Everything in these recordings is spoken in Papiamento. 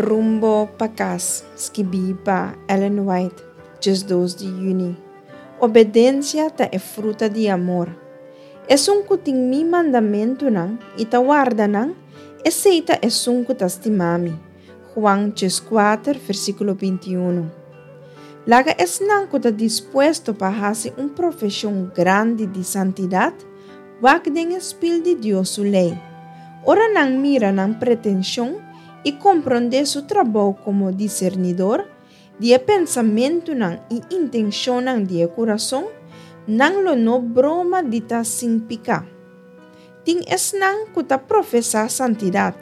Rumbo pa kas, skibí pa Ellen White, 12 di yüni. Obedensia ta e fruta di amor. Esun ku tin mi mandamentunan i ta warda nan, esei ta esun ku ta stima mi. Juan 14, versíkulo 21. Laga esnan ku ta dispuesto pa hasi un profeshon grandi di santidat, wak den e spil di Dios su lei. Ora nan mira nan pretenshon i komprondé su trabou komo disernidor di e pensamentunan i intenshonnan di e kurason, nan lo no broma di ta sin piká. Tin esnan ku ta profesá santidat,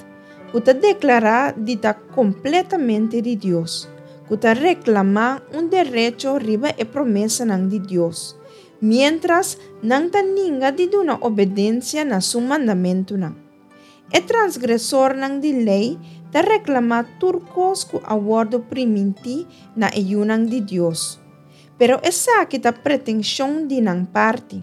ku ta deklará di ta kompletamente di Dios, ku ta reklamá un derecho riba e promesanan di Dios, miéntras nan ta ninga di duna obedensia na su mandamentunan. E transgresornan di lei ta reklamá tur kos ku a wòrdu primintí na e yunan di Dios. Pero esaki ta pretenshon di nan parti,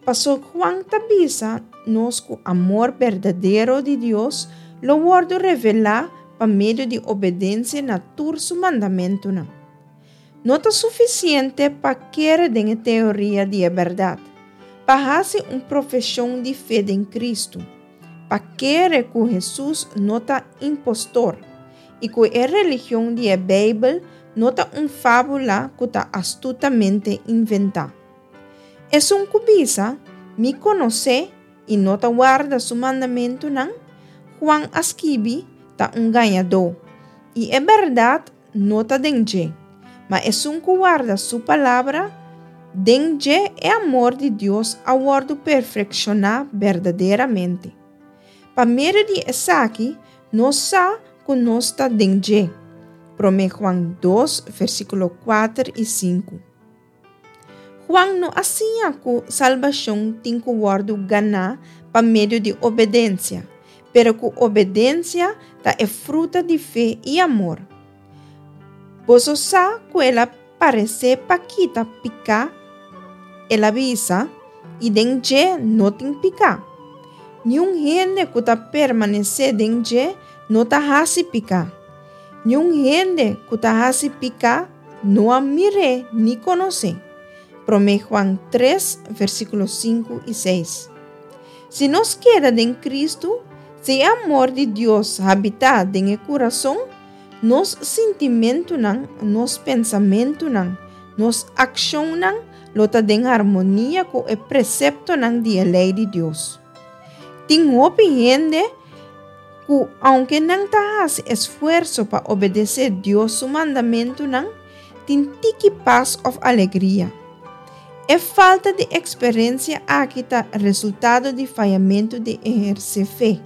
pasó Juan ta bisa nos ku amor berdadero di Dios lo wòrdu revelá pa medio di obedensia na tur su mandamentunan. No ta sufisiente pa kere den e teoria di e bèrdat, pa hasi un profeshon di fe den Kristu, pa kere ku Hesus no ta impostor i ku e religion di e Beibel no ta un fábula ku ta astutamente inventá. Esun ku bisa, Mi konos'é i no ta warda su mandamentunan, Juan a skibi, ta un gañadó, i e bèrdat no ta den dje, ma esun ku warda su palabra, den dje e amor di Dios a wòrdu perfekshoná berdaderamente. Pa medio di esaki nos sa ku nos ta den dje. Promé Juan 2, versíkulo 4 i 5. Juan no a siña ku salbashon tin ku wòrdu ganá pa medio di obedensia, pero ku obedensia ta e fruta di fe i amor. Boso sa ku el a paresé pa kita piká, el a bisa, i den dje no tin piká. Niun hende ku ta permanesé den dje no ta hasi piká. Niun hende ku ta hasi piká no a mir'é ni konos'é. Promé Juan 3, versíkulo 5 i 6. Si nos keda den Kristu, si e amor di Dios habitá den e kurason, nos sintimentunan, nos pensamentunan, nos akshonnan lo ta den harmonia ku e preseptonan di e lei di Dios. Tin hopi hende ku aunke nan ta hasi esfuerso pa obedesé Dios su mandamentunan, tin tiki pas òf alegria. E falta di eksperensia aki ta resultado di fayamentu di ehersé fe.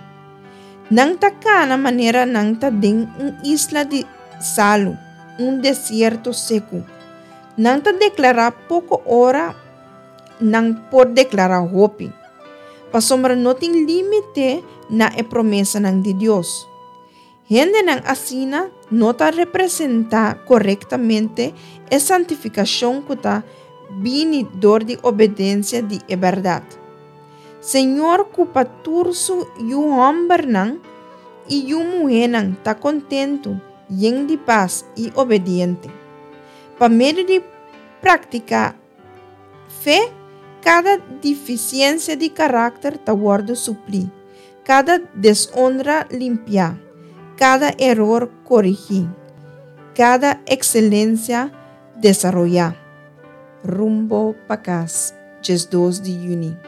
Nan ta kana manera nan ta den un isla di salu, un desierto seku. Nan ta deklará poko ora nan por deklará hopi, pasobra no tin límite na e promesanan di Dios. Hendenan asina no ta representá korektamente e santifikashon ku ta bini dor di obedensia di e bèrdat. Señor ku pa tur su yu hòmbernan i yu muhénan ta kontentu, yen di pas i obediente. Pa medio di praktiká Fe, kada difisiensia di karakter ta wòrdu suplí, kada desonra limpiá, kada eror korigí, kada ekselensia desaroyá. Rumbo pa kas, 12 di yüni.